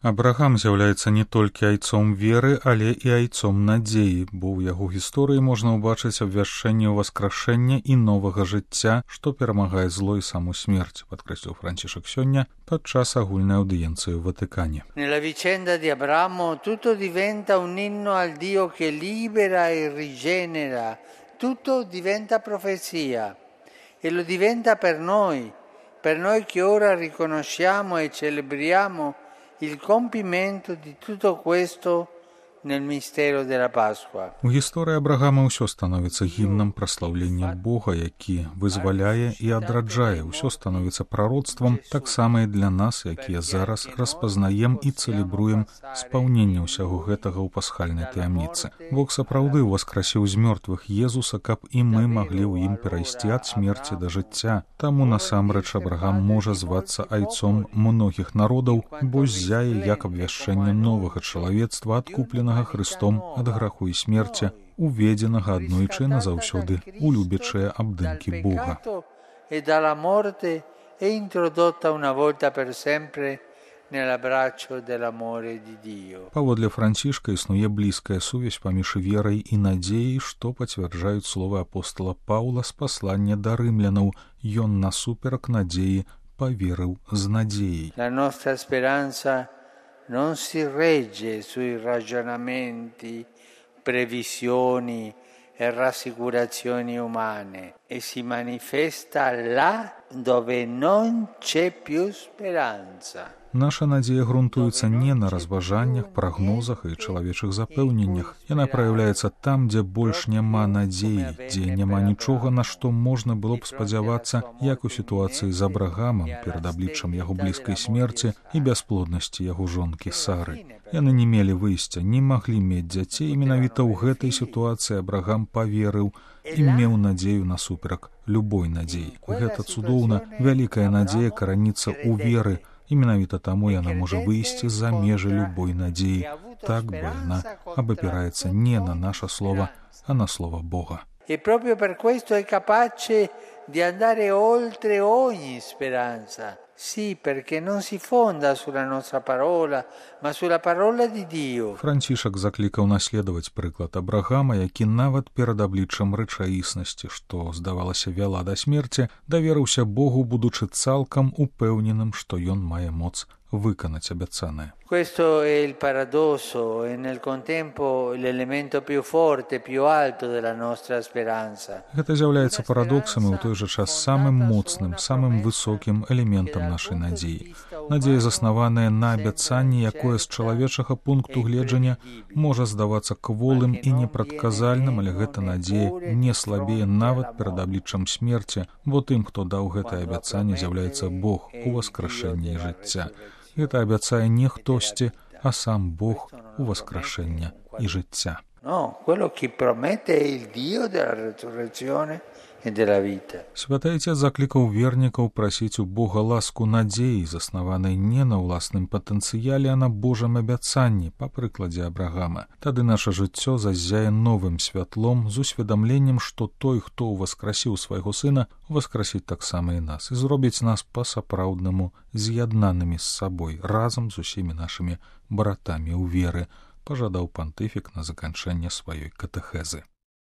Абрагам з'яўляецца не толькі айцом веры, але і айцом надзеі, бо ў яго гісторыі можна ўбачыць абвяшчэнне ўваскрашэння і новага жыцця, што перамагае зло і саму смерць, падкрэсліў Францішак сёння падчас агульнай аўдыенцыі ў Ватыкане. Nella vicenda di Abramo tutto diventa un inno al Dio che libera e rigenera, tutto diventa profezia e lo diventa per noi che ora riconosciamo e celebriamo il compimento di tutto questo nel mistero della Pasqua. У гісторыі Абрагама ўсё становіцца гімнам праслаўлення Бога, які вызваляе і адраджае. Усё становіцца прароцтвам, таксама і для нас, якія зараз распазнаем і цэлебруем спаўненне ўсяго гэтага ў пасхальнай таямніцы. Бог сапраўды ўваскрасіў з мёртвых Езуса, каб і мы маглі ў ім перайсці ад смерці да жыцця. Таму насамрэч Абрагам можа звацца айцом многіх народаў, бо ззяе як абвяшчэнне новага чалавецтва, адкупленага Христом ад граху і смерці, уведзенага аднойчы назаўсёды у любячыя абдымкі Бога. Паводле Францішка існуе блізкая сувязь паміж верай і надзеяй, што пацвярджаюць словы апостала Паўла з паслання да рымлянаў. Ён насуперак надзеі паверыў з надзеяй. La nostra speranza non si regge sui ragionamenti, previsioni e rassicurazioni umane e si manifesta là dove non c'è più speranza. Наша надзея грунтуецца не на разважаннях, прагнозах і чалавечых запэўненнях. Яна праяўляецца там, дзе больш няма надзеі, дзе няма нічога, на што можна было б спадзявацца, як у сітуацыі з Абрагамам перад абліччам яго блізкай смерці і бясплоднасці яго жонкі Сары. Яны не мелі выйсця, не маглі мець дзяцей, менавіта ў гэтай сітуацыі Абрагам паверыў і меў надзею насуперак любой надзеі. Гэта цудоўна, вялікая надзея караніцца ў веры, і менавіта таму яна можа выйсці за межы любой надзеі. Так, бо яна абапіраецца не на наша слова, а на слова Бога. E proprio per questo è capace di andare oltre ogni speranza. Sì, perché non si fonda sulla nostra parola, ma sulla parola di Dio. Францішак заклікаў наследаваць прыклад Абрагама, які нават перад абліччам рэчаіснасці, што, здавалася, вяла да смерці, даверыўся Богу, будучы цалкам упэўненым, што ён мае моц выканаць абяцанае. Questo è il paradosso e nel contempo l'elemento più forte, più alto della nostra speranza. Гэта з'яўляецца парадоксам і ў той жа час самым моцным, самым высокім элементам нашай надзеі. Надзея, заснаваная на абяцанні, якое з чалавечага пункту гледжання можа здавацца кволым і непрадказальным, але гэта надзея не слабее нават перад абліччам смерці, бо тым, хто даў гэтае абяцанне, з'яўляецца Бог у васкрашэнні жыцця. Гэта абяцае не хтосьці, а сам Бог у васкрашэння і жыцця. No, quello che promette è il Dio della resurrezione e della vita. Святы Отец заклікаў вернікаў прасіць у Бога ласку надзеі, заснаванай не на ўласным патэнцыяле, а на Божым абяцанні, па прыкладзе Абрагама. Тады наша жыццё зазяе новым святлом з усведамленнем, што той, хто ўваскрасіў свайго сына, уваскрасіць таксама і нас, і зробіць нас па-сапраўднаму з'яднанымі з сабой, разам з усімі нашымі братамі ў веры, пажадаў пантыфік на заканчэнне сваёй катэхезы.